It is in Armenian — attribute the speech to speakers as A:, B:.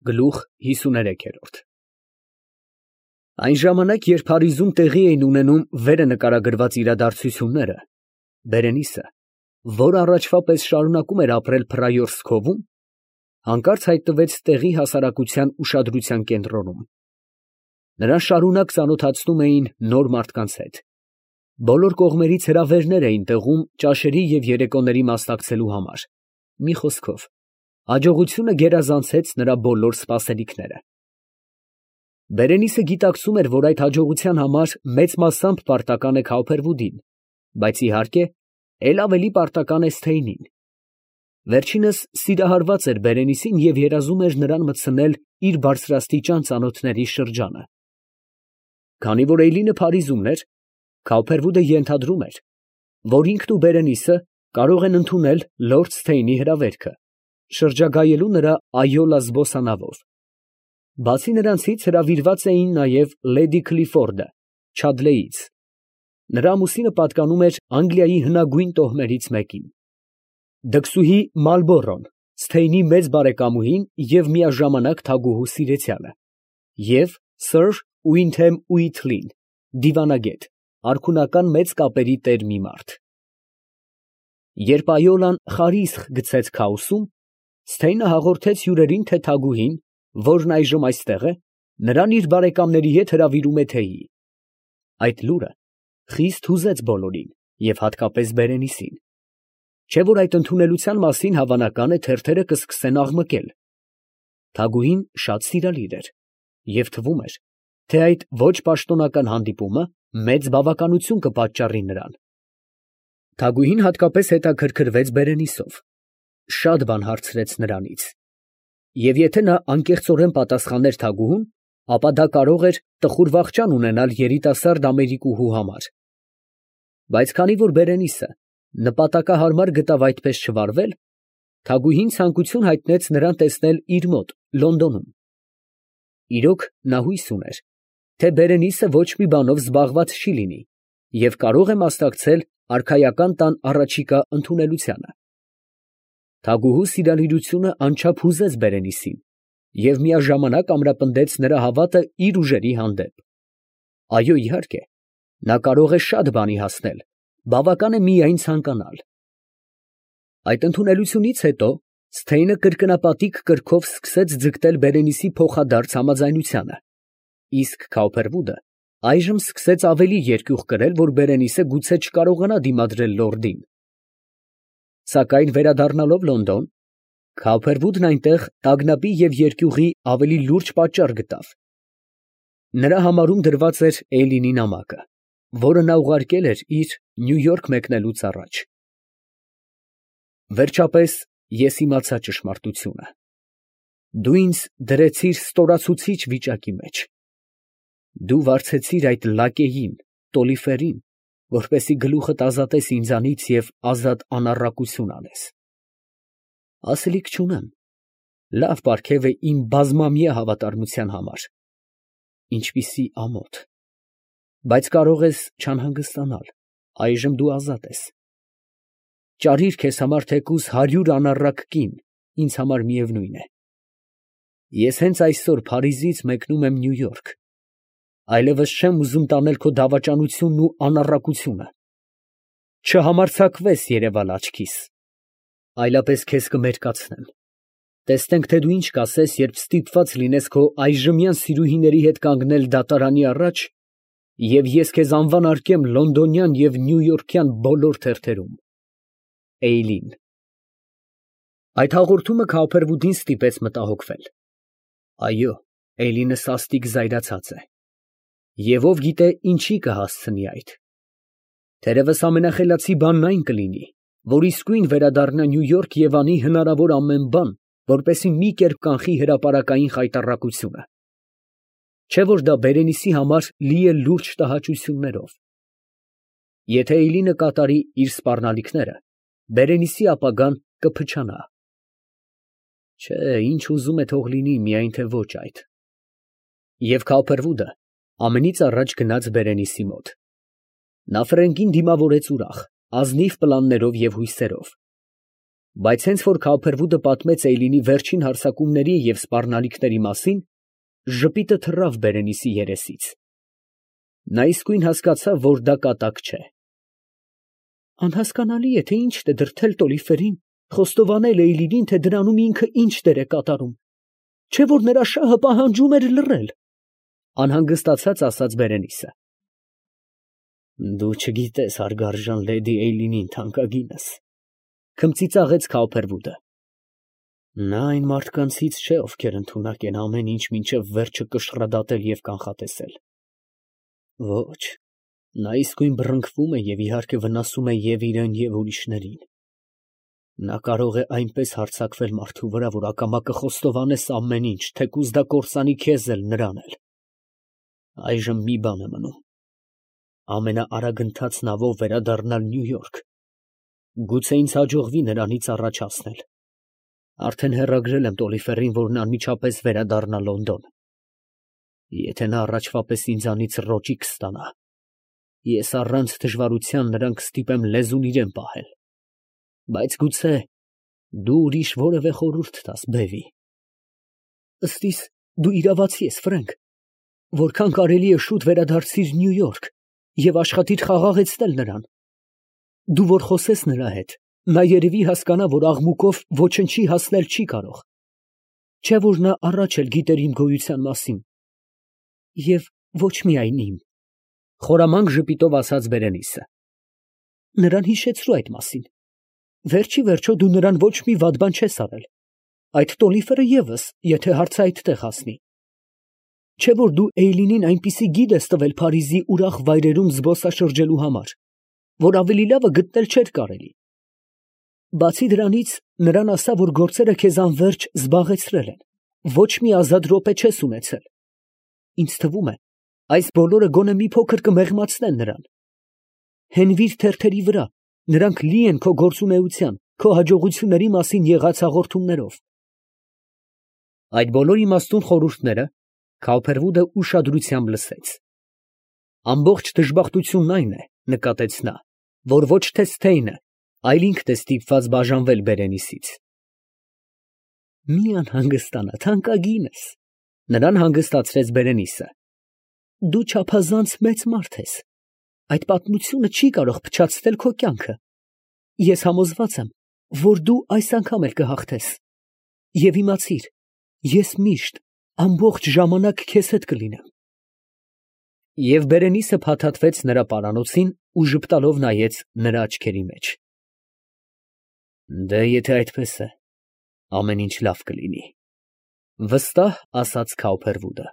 A: Գլուխ 53 Այն ժամանակ, երբ Փարիզում տեղի էին ունենում վերը նկարագրված իրադարձությունները, Բերենիսը, որ առաջվա պես շարունակում էր ապրել Փրայորսկ հովում, հանկարծ հայտնվեց տեղի հասարակության ուշադրության կենտրոնում. նրան շարունակ ծանոթացնում էին նոր մարդկանց հետ, բոլոր կողմերից հրավերներ էին տեղում ճաշերի և երեկոների մասնակցելու համար, մի խոսքով, հաջողությունը գերազանցեց նրա բոլոր սպասելիքները։ Բերենիսը գիտակցում էր, որ այդ հաջողության համար մեծ մասամբ պարտական է Քաուփերվուդին, բայց իհարկե, էլ ավելի պարտական է Սթեյնին։ Վերջինս սիրահարված էր Բերենիսին և երազում էր նրան մտցնել իր բարձրաստիճան ծանոթների շրջանը։ Քանի որ Էյլինը Փարիզումն էր, Քաուփերվուդը ենթադրում էր, որ ինքն ու Բերենիսը կարող են ընդունել լորդ Սթեյնի հրավերքը, շրջագայելու նրա Այոլա զբոսանավով։ Բացի նրանցից հրավիրված էին նաև լեդի Քլիֆորդը Չադլեից։ Նրա ամուսինը պատկանում էր Անգլիայի հնագույն տոհմերից մեկին։ Դքսուհի Մալբորոն, Սթեյնի մեծ բարեկամուհին և միաժամանակ թագուհու սիրեցյալը, և սըր Ուինթեմ Ուիթլին, դիվանագետ, արքունական մեծ կապերի տեր մի մարդ։ Երբ Այոլան խարիսխ գցեց քաոսում, Սթեյնը հաղորդեց հյուրերին, թե թագուհին, որն այժմ այստեղ է, նրան իր բարեկամների հետ հրավիրում է թեյի։ Այդ լուրը խիստ հուզեց բոլորին և հատկապես Բերենիսին, չէ՞ որ այդ ընդունելության մասին հավանական է թերթերը կսկսեն աղմկել։ Թագուհին շատ սիրալիր էր, և թվում էր, թե այդ ոչ պաշտոնական հանդիպումը մեծ բավականություն կպատճառի նրան։ Թագուհին հատկապես հետաքրքրվեց Բերենիսով, շատ բան հարցրեց նրանից, և եթե նա անկեղծորեն պատասխաներ թագուհուն, ապա դա կարող էր տխուր վախճան ունենալ երիտասարդ ամերիկուհու համար։ Բայց քանի որ Բերենիսը նպատակահարմար գտավ այդպես չվարվել, թագուհին ցանկություն հայտնեց նրան տեսնել իր մոտ, Լոնդոնում։ Իրոք, նա հույս ուներ, թե Բերենիսը ոչ մի բանով զբաղված չի լինի և կարող է մասնակցել արքայական տան առաջիկա ընդունելությանը։ Թագուհու սիրալիրությունը անչափ հուզեց Բերենիսին և միաժամանակ ամրապնդեց նրա հավատը իր ուժերի հանդեպ։ Այո, իհարկե, նա կարող է շատ բանի հասնել, բավական է միայն ցանկանալ։ Այդ ընդունելությունից հետո Սթեյնը կրկնապատիկ կրքով սկսեց ձգտել Բերենիսի փոխադարձ համաձայնությանը, իսկ Քաուփերվուդը այժմ սկսեց ավելի երկյուղ կրել, որ Բերենիսը գուցե չկարողանա դիմադրել լորդին։ Սակայն վերադառնալով Լոնդոն, Քաուփերվուդն այնտեղ տագնապի և երկյուղի ավելի լուրջ պատճառ գտավ։ Նրա համարում դրված էր Էյլինի նամակը, որը նա ուղարկել էր իր Նյու Յորք մեկնելուց առաջ։ Վերջապես ես իմացա ճշմարտությունը. դու ինձ դրեցիր ստորացուցիչ վիճակի մեջ։ Դու վարձեցիր այդ լակեյին, Տոլիֆերին, որպեսզի գլուխդ ազատես ինձանից և ազատ անառակություն անես։ Ասելիք չունեմ, լավ պարգև է իմ բազմամյա հավատարմության համար, ինչպիսի ամոթ, բայց կարող ես չանհանգստանալ, այժմ դու ազատ ես։ Ճարիր քեզ համար թեկուզ 100 անառակ կին, ինձ համար միևնույն է։ Ես հենց այսօր Փարիզից մեկնում եմ Նյու Յորք, այլևս չեմ ուզում տանել քո դավաճանությունն ու անառակությունը։ Չհամարձակվես երևալ աչքիս, այլապես քեզ կմերկացնեմ։ Տեսնենք, թե դու ինչ կասես, երբ ստիպված լինես քո այժմյան սիրուհիների հետ կանգնել դատարանի առաջ, և ես քեզ անվանարկեմ լոնդոնյան և նյույորքյան բոլոր թերթերում։ Էյլին։ Այդ հաղորդումը Քաուփերվուդին ստիպեց մտահոգվել։ Այո, Էյլինը սաստիկ զայրացած է։ Եվ ով գիտե ինչի կհասցնի այդ։ Թերևս ամենախելացի բանն այն կլինի, որ իսկույն վերադառնա Նյու Յորք և անի հնարավոր ամեն բան, որպեսզի մի կերպ կանխի հրապարակային խայտառակությունը։ Չէ՞ որ դա Բերենիսի համար լի է լուրջ տհաճություններով։ Եթե Էյլինը կատարի իր սպառնալիքները, Բերենիսի ապագան կփչանա։ Չէ, ինչ ուզում է թող լինի, միայն թե ոչ այդ։ Եվ Քաուփերվուդը ամենից առաջ գնաց Բերենիսի մոտ։ Նա ֆրենկին դիմավորեց ուրախ, ազնիվ պլաններով և հույսերով։ Բայց հենց որ Քավփերվուդը պատմեց Էյլինի վերջին հարձակումների և սպառնալիքների մասին, ժպիտը թռավ Բերենիսի երեսից. նա իսկույն հասկացավ, որ դա կատակ չէ։ Անհասկանալի է, թե ինչ է դրդել Տոլիֆերին խոստովանել Էյլինին, թե դրանում ինքը ինչ դեր է կատարում, չէ՞ որ նրա շահը պահանջում էր լռել, անհանգստացած ասաց Բերենիսը։ Դու չգիտես, հարգարժան լեդի Էյլինին, թանկագինս, քմծիծաղեց Քավփերվուդը։ Նա այն մարդկանցից չէ, ովքեր ընդունակ են ամեն ինչ մինչև վերջը կշռադատել և կանխատեսել։ Ոչ, նա իսկույն բռնկվում է և իհարկե վնասում է և իրան, և ուրիշներին։ Նա կարող է այնպես հարձակվել մարդու վրա, որ ակամա կխոստովանես ամեն ինչ, թեկուզ դա կործանի քեզ էլ, նրան էլ։ Այժմ մի բան է մնում. ամենաարագընթաց նավով վերադառնալ Նյու Յորք։ Գուցե ինձ հաջողվի նրանից առաջ հասնել։ Արդեն հեռագրել եմ Տոլիֆերին, որ նա անմիջապես վերադառնա Լոնդոն։ Եթե նա առաջվա պես ինձանից ռոճի կստանա, ես առանց դժվարության նրան կստիպեմ լեզուն իրան պահել։ Բայց գուցե դու ուրիշ որևէ խորհուրդ տաս, բեվի։ Ըստ իս դու իրավացի ես, Ֆրենկ, որքան կարելի է շուտ վերադարձիր Նյու Յորք և աշխատիր խաղաղեցնել նրան։ Դու որ խոսես նրա հետ, նա երևի հասկանա, որ աղմուկով ոչնչի հասնել չի կարող։ Չէ՞ որ նա առաջ էլ գիտեր իմ գոյության մասին։ Եվ ոչ միայն իմ, խորամանկ ժպիտով ասաց Բերենիսը։ Նրան հիշեցրու այդ մասին։ Վերջ ի վերջո դու նրան ոչ մի վատ բան չես արել։ Այդ Տոլիֆերը ևս, եթե հարցը այդտեղ հասնի։ Չէ՞ որ դու Էյլինին այնպիսի գիդ ես տվել Փարիզի ուրախ վայրերում զբոսաշրջելու համար, որ ավելի լավը գտնել չէր կարելի։ Բացի դրանից, նրան ասա, որ գործերը քեզ անվերջ զբաղեցրել են, ոչ մի ազատ րոպե չես ունեցել։ Ինձ թվում է, այս բոլորը գոնե մի փոքր կմեղմացնեն նրան։ Հենվիր թերթերի վրա, նրանք լի են քո գործունեության, քո հաջողությունների մասին եղած հաղորդումներով։ Այդ բոլոր իմաստուն խորհուրդները Քավփերվուդը ուշադրությամբ լսեց։ Ամբողջ դժբախտությունն այն է, նկատեց նա, որ ոչ թե Սթեյնը, այլ ինքն է ստիպված բաժանվել Բերենիսից։ Մի անհանգստանա, թանկագինս, նրան հանգստացրեց Բերենիսը։ Դու չափազանց մեծ մարդ ես։ Այդ պատմությունը չի կարող փչացնել քո կյանքը։ Ես համոզված եմ, որ դու այս անգամ էլ կհաղթես։ Եվ իմացիր, ես միշտ ամբողջ ժամանակ քեզ հետ կլինեմ։ Եվ Բերենիսը փաթաթվեց նրա պարանոցին ու ժպտալով նայեց նրա աչքերի մեջ։ Դե եթե այդպես է, ամեն ինչ լավ կլինի, վստահ ասաց Քավփերվուդը։